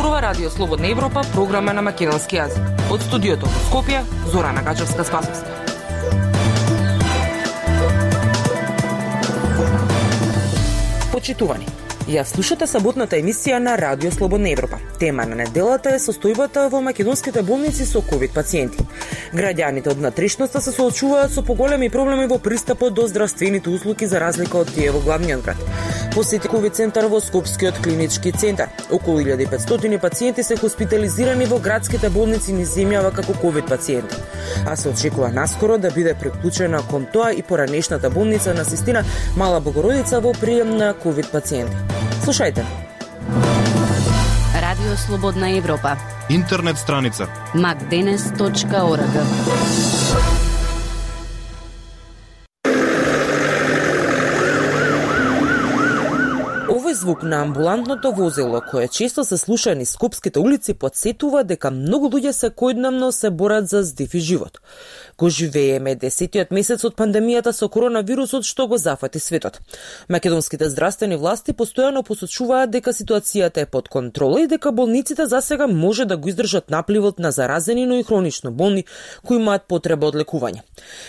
зборува Радио Слободна Европа, програма на македонски јазик. Од студиото во Скопје, Зорана Гачевска-Спасовска. Почитувани, ја слушате саботната емисија на Радио Слободна Европа. Тема на неделата е состојбата во македонските болници со ковид пациенти. Граѓаните од внатрешноста се соочуваат со поголеми проблеми во пристапот до здравствените услуги за разлика од тие во главниот град. Посети ковид центар во Скопскиот клинички центар. Околу 1500 пациенти се хоспитализирани во градските болници низ земјава како ковид пациенти. А се очекува наскоро да биде приклучена кон тоа и поранешната болница на Систина Мала Богородица во прием на ковид пациенти. Слушајте. Радио Слободна Европа. Интернет страница macdenes.org. Овој звук на амбулантното возило, кое често се слуша низ скопските улици, потсетува дека многу луѓе секојдневно се борат за здив и живот. Го живееме 10-тиот месец од пандемијата со коронавирусот што го зафати светот. Македонските здравствени власти постојано посочуваат дека ситуацијата е под контрола и дека болниците засега може да го издржат напливот на заразени, но и хронично болни кои имаат потреба од лекување.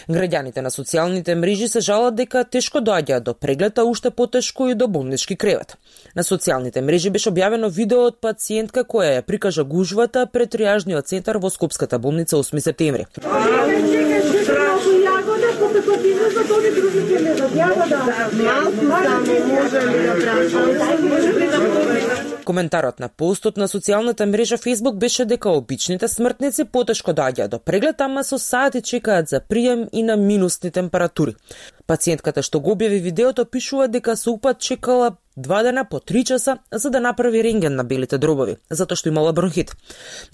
Граѓаните на социјалните мрежи се жалат дека тешко доаѓаат до преглед, а уште потешко и до болнички кревет. На социјалните мрежи беше објавено видео од пациентка која ја прикажа гужвата пред триажниот центар во Скопската болница 8 септември. Коментарот на постот на социјалната мрежа Facebook беше дека обичните смртници потешко доаѓаат до преглед, ама со сати чекаат за прием и на минусни температури. Пациентката што го објави видеото пишува дека со упат чекала 2 дена по 3 часа за да направи рентген на белите дробови, затоа што имала бронхит.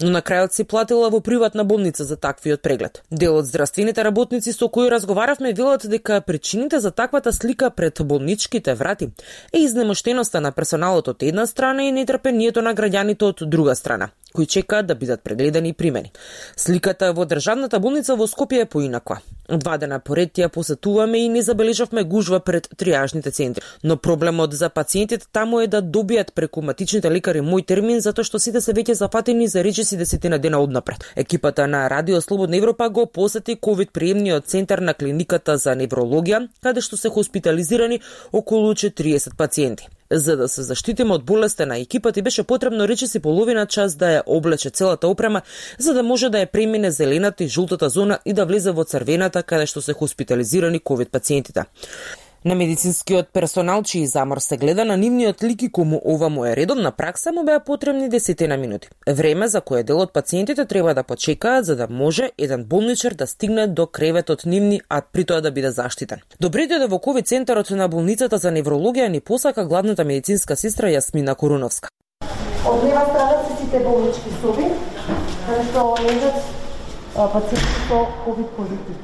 Но на крајот си платила во приватна болница за таквиот преглед. Дел од здравствените работници со кои разговаравме велат дека причините за таквата слика пред болничките врати е изнемоштеноста на персоналот од една страна и нетрпението на граѓаните од друга страна, кои чекаат да бидат прегледани и примени. Сликата во државната болница во Скопје е поинаква. 2 дена поред ја посетуваме и не забележавме гужва пред триажните центри. Но проблемот за пациентите таму е да добијат преку матичните лекари мој термин, затоа што сите се веќе зафатени за речиси 10 дена однапред. Екипата на Радио Слободна Европа го посети ковид приемниот центар на клиниката за неврологија, каде што се хоспитализирани околу 40 пациенти. За да се заштитиме од болеста на екипата и беше потребно речиси половина час да ја облече целата опрема, за да може да ја премине зелената и жолтата зона и да влезе во црвената каде што се хоспитализирани ковид пациентите. На медицинскиот персонал чиј замор се гледа на нивниот лик и кому ова му е редовна пракса му беа потребни 10 минути. Време за кое дел од пациентите треба да почекаат за да може еден болничар да стигне до креветот нивни, а при тоа да биде заштитен. Добре дојде во ковид центарот на болницата за неврологија ни посака главната медицинска сестра Јасмина Коруновска. Од лева страна се сите болнички соби, каде што лежат пациенти со ковид позитив.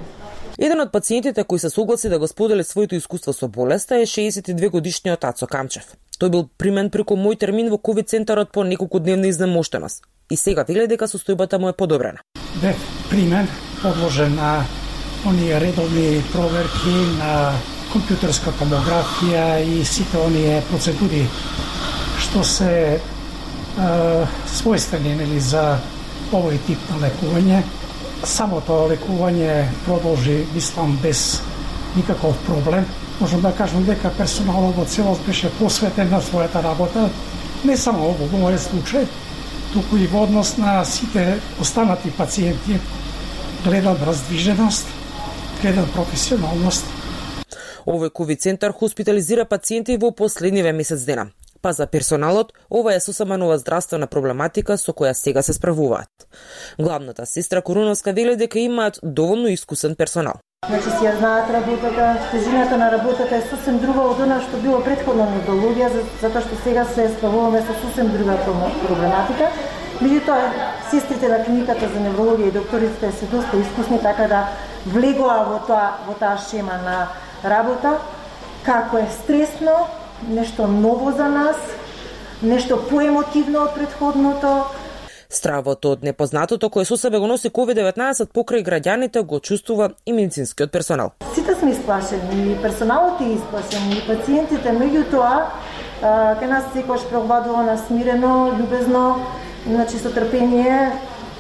Еден од пациентите кои се согласи да го сподели своето искуство со болеста е 62 годишниот Ацо Камчев. Тој бил примен преку мој термин во ковид центарот по неколку дневна изнемоштеност. И сега вели дека состојбата му е подобрена. Бев примен, подложен на оние редовни проверки на компјутерска томографија и сите оние процедури што се својствени за овој тип на лекување. Самото лекување продолжи, мислам, без никаков проблем. Можам да кажам дека персоналот во целост беше посветен на својата работа, не само во мојот случај, туку и во однос на сите останати пациенти. Гледам раздвиженост, гледам професионалност. Овој ковид центар хоспитализира пациенти во последниве месец дена. Па за персоналот, ова е сосема нова здравствена проблематика со која сега се справуваат. Главната сестра Коруновска вели дека имаат доволно искусен персонал. Значи си ја знаат работата, тежината на работата е сосем друга од она што било претходно методологија, затоа што сега се справуваме со сосем друга проблематика. Меѓутоа, сестрите на клиниката за неврологија и докторите се доста искусни, така да влегоа во таа шема на работа, како е стресно, нешто ново за нас, нешто поемотивно од претходното. Стравот од непознатото кое со себе го носи COVID-19 покрај граѓаните го чувствува и медицинскиот персонал. Сите сме исплашени, и персоналот е исплашен, и пациентите, меѓутоа, кај нас секојаш преобладува на смирено, љубезно, Значи со трпение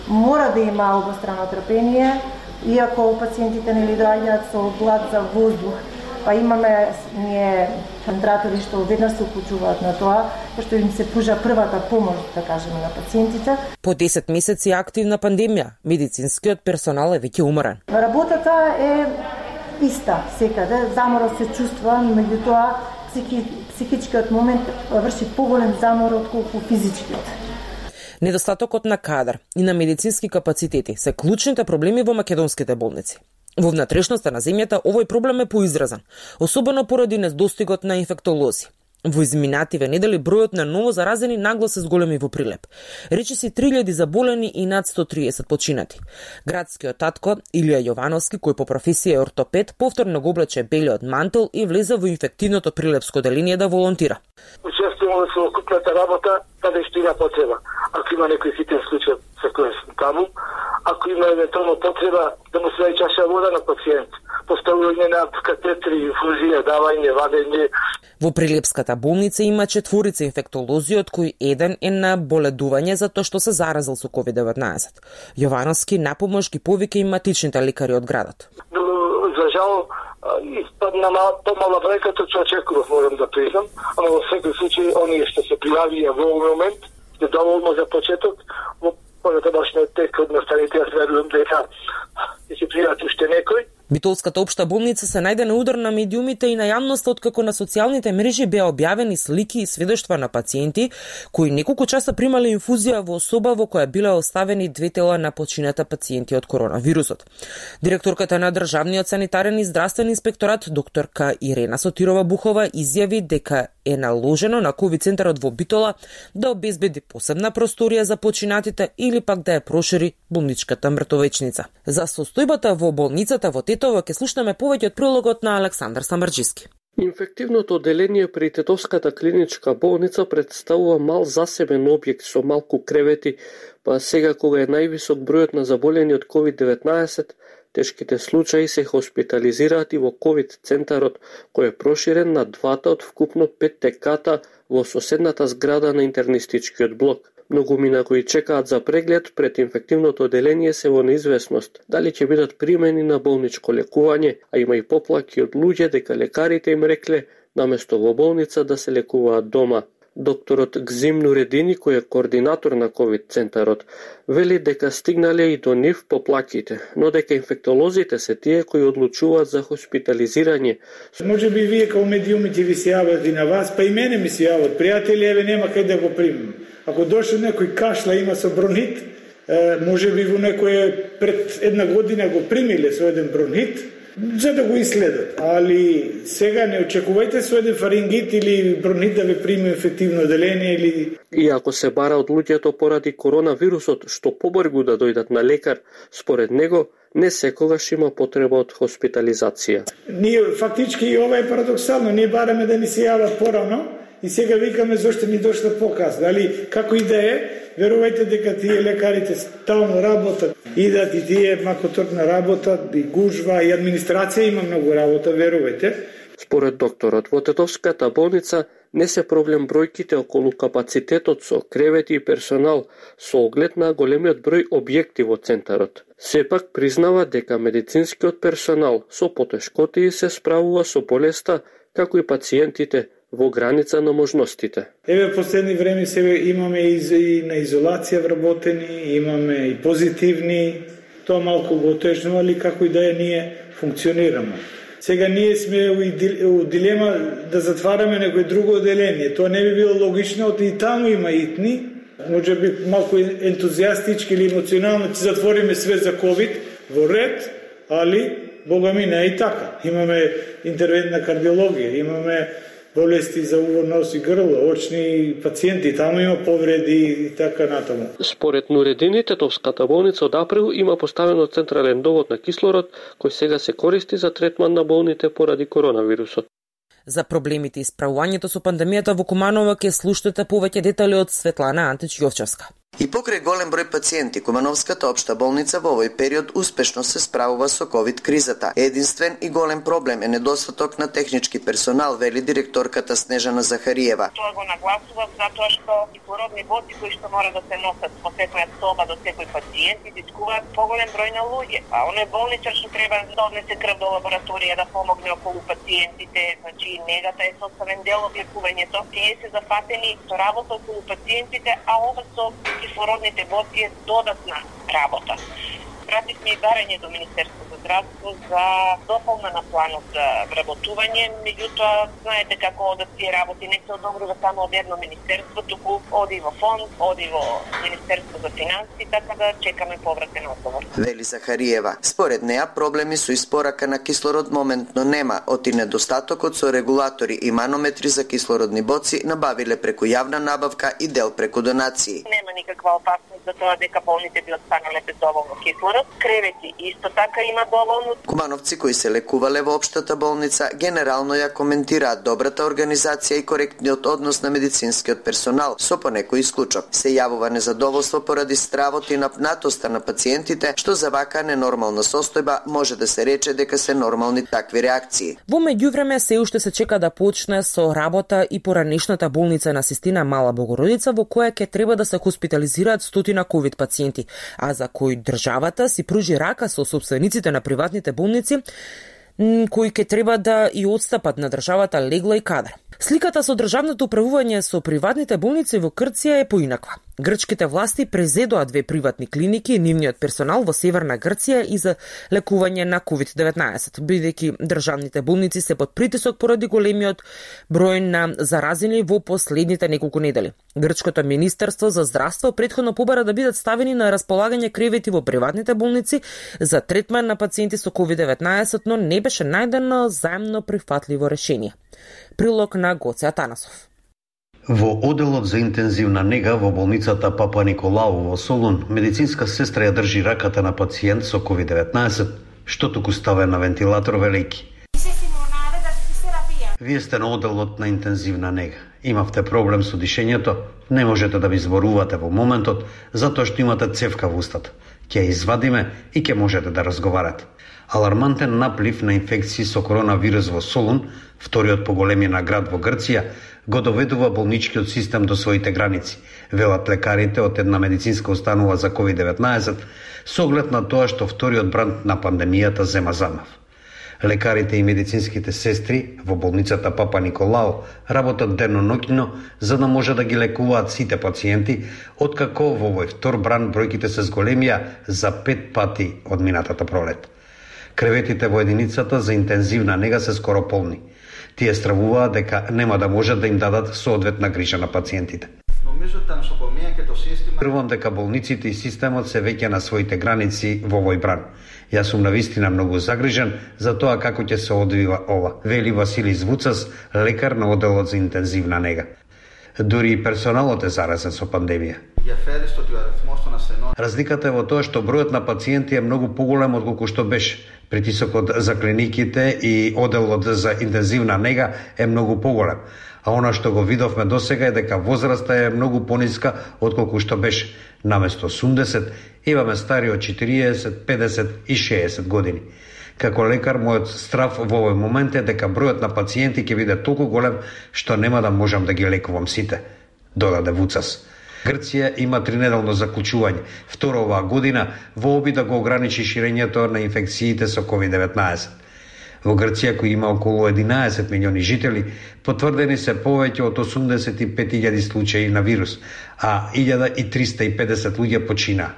мора да има обострано трпение, иако пациентите нели доаѓаат со глад за воздух, па имаме ние центратори што веднаш се уклучуваат на тоа, што им се пужа првата помош, да кажеме, на пациентите. По 10 месеци активна пандемија, медицинскиот персонал е веќе уморен. Работата е иста секаде, заморот се чувства, меѓутоа психичкиот момент врши поголем замор отколку физичкиот. Недостатокот на кадар и на медицински капацитети се клучните проблеми во македонските болници. Во внатрешноста на земјата овој проблем е поизразен, особено поради недостигот на инфектолози. Во изминативе недели бројот на ново заразени нагло се зголеми во прилеп. Речиси 3000 заболени и над 130 починати. Градскиот татко Илија Јовановски, кој по професија е ортопед, повторно го облече белиот мантел и влезе во инфективното прилепско деление да волонтира. Учествуваме во окупната работа, каде што има потреба. Ако има некој хитен случај, секој таму, ако има евентуално потреба да му се даде чаша вода на пациент, поставување на катетри, инфузија, давање, вадење. Во Прилепската болница има 4 инфектолози, од кои еден е на боледување затоа што се заразил со COVID-19. Јовановски напомош ги повика и матичните лекари од градот. Но, за жал, испадна помала бројка тоа што очекував, морам да признам, ама во секој случај оние што се пријавија во овој момент е доволно за почеток. Во понатамошниот тек од настаните јас верувам дека ќе се пријават уште некој. Битолската општа болница се најде на удар на медиумите и на јавноста откако на социјалните мрежи беа објавени слики и сведоштва на пациенти кои неколку часа примале инфузија во соба во која биле оставени 2 тела на почината пациенти од коронавирусот. Директорката на Државниот санитарен и здравствен инспекторат докторка Ирена Сотирова Бухова изјави дека е наложено на ковид центарот во Битола да обезбеди посебна просторија за починатите или пак да ја прошири болничката мртовечница. За состојбата во болницата во Тетово ќе слушнеме повеќе од прилогот на Александар Самарџиски. Инфективното одделение при Тетовската клиничка болница представува мал засебен објект со малку кревети, па сега кога е највисок бројот на заболени од COVID-19, тешките случаи се хоспитализираат и во ковид центарот, кој е проширен на 2 од вкупно 5 теката во соседната зграда на интернистичкиот блок. Многумина кои чекаат за преглед пред инфективното одделение се во неизвестност дали ќе бидат примени на болничко лекување, а има и поплаки од луѓе дека лекарите им рекле наместо во болница да се лекуваат дома. Докторот Гзим Нуредини, кој е координатор на ковид центарот, вели дека стигнале и до нив поплаките, но дека инфектолозите се тие кои одлучуваат за хоспитализирање. Може би вие као медиумите ви се јават и на вас, па и мене ми се јават. Пријатели, еве нема кај да го примам. Ако дошол некој кашла има со бронхит, може би во некој пред 1 година го примиле со еден бронхит, за да го исследат. Али сега не очекувајте со еден фарингит или бронхит да ве приме инфективно одделение или... И ако се бара од луѓето поради коронавирусот што побрзо да дојдат на лекар, според него не секогаш има потреба од хоспитализација. Ние фактички и ова е парадоксално, ние бараме да ни се јават порано и сега викаме зошто ни дошла покасно. Али како и да е, верувајте дека тие лекарите стално работат, идат и тие макоторна работа, и гужва, и администрација има многу работа, верувајте. Според докторот, во Тетовската болница не се проблем бројките околу капацитетот со кревети и персонал со оглед на големиот број објекти во центарот. Сепак признава дека медицинскиот персонал со потешкоти се справува со болеста, како и пациентите, во граница на можностите. Еве последни време себе имаме и на изолација вработени, имаме и позитивни, тоа малку го отежнува, али како и да е ние функционираме. Сега ние сме у дилема да затвараме некој друго одделение. Тоа не би било логично, и таму има итни, може би малку ентузијастички или емоционално ќе затвориме све за ковид во ред, али бога ми не е и така. Имаме интервентна кардиологија, имаме болести за уво, нос и грло, очни пациенти, таму има повреди и така натаму. Според Нуредини, Тетовската болница од април има поставено централен довод на кислород, кој сега се користи за третман на болните поради коронавирусот. За проблемите и справувањето со пандемијата во Куманово ќе слушнете повеќе детали од Светлана Антич Јовчевска. И покрај голем број пациенти, Кумановската општа болница во овој период успешно се справува со ковид кризата. Единствен и голем проблем е недостаток на технички персонал, вели директорката Снежана Захариева. Тоа го нагласувам затоа што кислородни боци кои што мора да се носат во секоја соба до секој пациент изискуваат поголем број на луѓе. А оној болничар што треба да однесе крв до лабораторија да помогне околу пациентите, значи негата е составен дел од лекувањето. Тие се зафатени со работа околу пациентите, а ова со кислородните боци е додатна работа. Пративме и барање до Министерството за здравство за дополнена планот за вработување, меѓутоа знаете како одат тие работи, не се одобрува само од едно министерство, туку оди во фонд, оди во Министерство за финансии, така да чекаме повратен одговор. Вели Захариева. Според неа проблеми со испорака на кислород моментно нема, оти недостатокот со регулатори и манометри за кислородни боци набавиле преку јавна набавка и дел преку донации. Нема никаква опасност за тоа дека болните би останале без доволно кислород. Кревети исто така има доволно. Кумановци кои се лекувале во општата болница генерално ја коментираат добрата организација и коректниот однос на медицинскиот персонал, со понекој исклучок. Се јавува незадоволство поради стравот и напнатоста на пациентите, што за вака ненормална состојба може да се рече дека се нормални такви реакции. Во меѓувреме се уште се чека да почне со работа и поранешната болница на Систина Мала Богородица, во која ќе треба да се хоспитализираат стотина ковид пациенти, а за кои државата си пружи рака со сопствениците на приватните болници, кои ќе треба да и отстапат на државата легла и кадар. Сликата со државното управување со приватните болници во Грција е поинаква. Грчките власти презедоа 2 приватни клиники и нивниот персонал во северна Грција и за лекување на COVID-19, бидејќи државните болници се под притисок поради големиот број на заразени во последните неколку недели. Грчкото министерство за здравство претходно побара да бидат ставени на располагање кревети во приватните болници за третман на пациенти со COVID-19, но не беше најдено заемно прифатливо решение. Прилог на Гоце Атанасов. Во оделот за интензивна нега во болницата Папа Николау во Солун, медицинска сестра ја држи раката на пациент со COVID-19, што туку ставен на вентилатор, велејќи: "Вие сте на оделот на интензивна нега. Имавте проблем со дишењето, не можете да ви зборувате во моментот, затоа што имате цевка во устата. Ќе ја извадиме и ќе можете да разговарате." Алармантен наплив на инфекции со коронавирус во Солун, вториот по големина град во Грција, го доведува болничкиот систем до своите граници, велат лекарите од една медицинска установа за COVID-19, со оглед на тоа што вториот бранд на пандемијата зема замав. Лекарите и медицинските сестри во болницата Папа Николау работат дено-ноќно за да може да ги лекуваат сите пациенти, откако во овој втор бранд бројките се зголемија за 5 пати од минатата пролет. Креветите во единицата за интензивна нега се скоро полни. Тие стравуваат дека нема да можат да им дадат соодветна грижа на пациентите. Првам дека болниците и системот се веќе на своите граници во овој бран. Јас сум навистина многу загрижен за тоа како ќе се одвива ова, вели Василий Звуцас, лекар на оделот за интензивна нега. Дури и персоналот е заразен со пандемија. Разликата е во тоа што бројот на пациенти е многу поголем отколку што беше. Притисокот за клиниките и оделот за интензивна нега е многу поголем. А она што го видовме досега е дека возраста е многу пониска отколку што беше. Наместо 80 имаме стари од 40, 50 и 60 години. Како лекар, мојот страв во овој момент е дека бројот на пациенти ќе биде толку голем што нема да можам да ги лекувам сите, додаде Вуцас. Грција има 3-неделно заклучување, второ оваа година, во обид да го ограничи ширењето на инфекциите со COVID-19. Во Грција, кој има околу 11 милиони жители, потврдени се повеќе од 85.000 случаи на вирус, а 1350 луѓе починаа.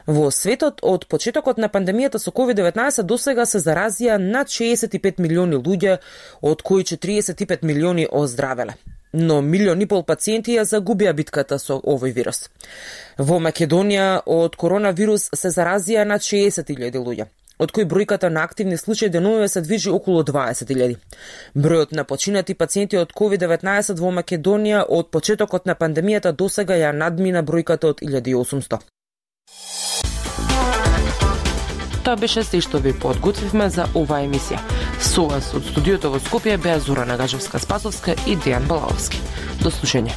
Во светот од почетокот на пандемијата со COVID-19 досега се заразија над 65 милиони луѓе, од кои 45 милиони оздравеле. Но 1,5 милиони пациенти ја загубија битката со овој вирус. Во Македонија од коронавирус се заразија над 60.000 луѓе, од кои бројката на активни случаи деновиве се движи околу 20.000. Бројот на починати пациенти од COVID-19 во Македонија од почетокот на пандемијата досега ја надмина бројката од 1800. Тоа беше се што ви подготвивме за оваа емисија. Со вас од студиото во Скопје беа Зора Нагажевска-Спасовска и Дејан Балаовски. До слушање.